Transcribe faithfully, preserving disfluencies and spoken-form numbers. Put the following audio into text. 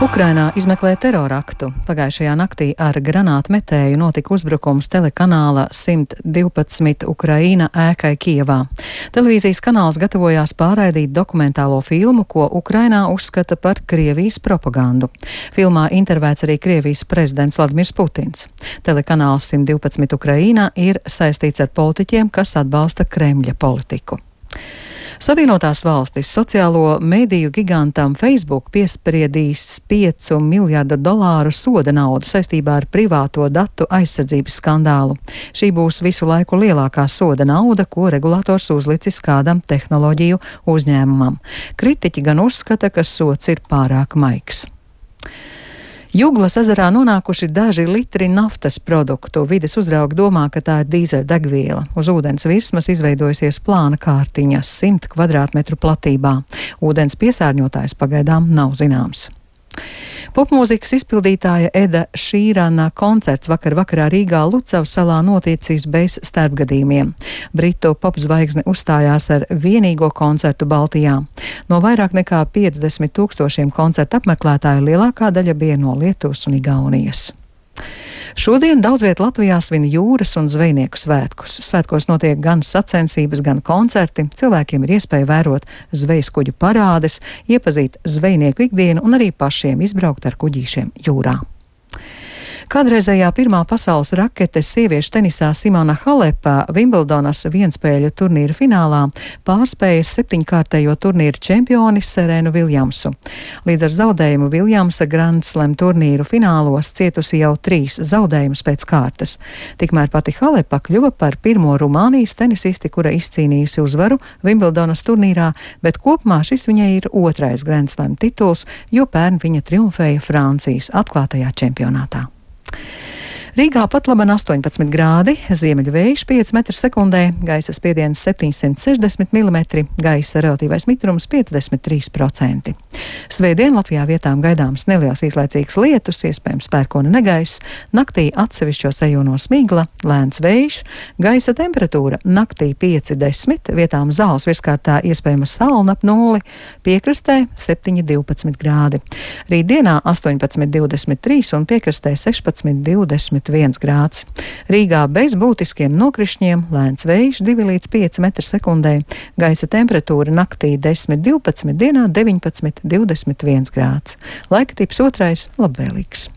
Ukrainā izmeklē teroraktu. Pagājušajā naktī ar granātmetēju notika uzbrukums telekanāla simt divpadsmit Ukraina ēkai Kijevā. Televīzijas kanāls gatavojās pārraidīt dokumentālo filmu, ko Ukrainā uzskata par Krievijas propagandu. Filmā intervēts arī Krievijas prezidents Vladimirs Putins. Telekanāls simt divpadsmit Ukraina ir saistīts ar politiķiem, kas atbalsta Kremļa politiku. Savienotās valstis sociālo mediju gigantam Facebook piespriedīs piecu miljardu dolāru soda naudu saistībā ar privāto datu aizsardzības skandālu. Šī būs visu laiku lielākā soda nauda, ko regulators uzlicis kādam tehnoloģiju uzņēmumam. Kritiķi gan uzskata, ka sods ir pārāk maigs. Juglas ezerā nonākuši daži litri naftas produktu. Vides uzraugi domā, ka tā ir dīzeļdegviela. Uz ūdens virsmas izveidojusies plāna kārtiņa simt kvadrātmetru platībā. Ūdens piesārņotājs pagaidām nav zināms. Popmūzikas izpildītāja Eda Šīrana koncerts vakar vakarā Rīgā Lucavas salā noticis bez starpgadījumiem. Britu popzvaigzne uzstājās ar vienīgo koncertu Baltijā. No vairāk nekā piecdesmit tūkstošiem koncertu apmeklētāju lielākā daļa bija no Lietuvas un Igaunijas. Šodien daudz viet Latvijā svin jūras un zvejnieku svētkus. Svētkos notiek gan sacensības, gan koncerti. Cilvēkiem ir iespēja vērot zvejas kuģu parādes, iepazīt zvejnieku ikdienu un arī pašiem izbraukt ar kuģīšiem jūrā. Kādreizējā pirmā pasaules rakete sieviešu tenisā Simona Halepa Vimbldonas vienspēļu turnīra finālā pārspēja septiņkārtējo turnīru čempioni Serenu Viljamsu. Līdz ar zaudējumu Viljamsa Grand Slam turnīru finālos cietusi jau trīs zaudējumus pēc kārtas. Tikmēr pati Halepa kļuva par pirmo Rumānijas tenisisti, kura izcīnījusi uzvaru Vimbldonas turnīrā, bet kopumā šis viņai ir otrais Grand Slam tituls, jo pērn viņa triumfēja Francijas atklātajā čempionātā. Rīgā pat laban astoņpadsmit grādi, ziemeļu vējš pieci metri sekundē, gaisa spiediens septiņsimt sešdesmit milimetri, gaisa relatīvais mitrums piecdesmit trīs procenti. Svētdien Latvijā vietām gaidāms neliels īslaicīgs lietus, iespējams pērkona negaiss, naktī atsevišķos rajonos migla, lēns vējš, gaisa temperatūra naktī pieci desmit, vietām zāles virskārtā iespējama salna ap nulli, piekrastē septiņi divpadsmit grādi. Rītdienā astoņpadsmit divdesmit trīs un piekrastē sešpadsmit divdesmit viens grāds. Rīgā bez būtiskiem nokrišņiem, lēns vējš divi līdz pieci metri sekundē, gaisa temperatūra naktī desmit divpadsmit, dienā deviņpadsmit divdesmit viens grāds. Laika tips otrais labvēlīgs.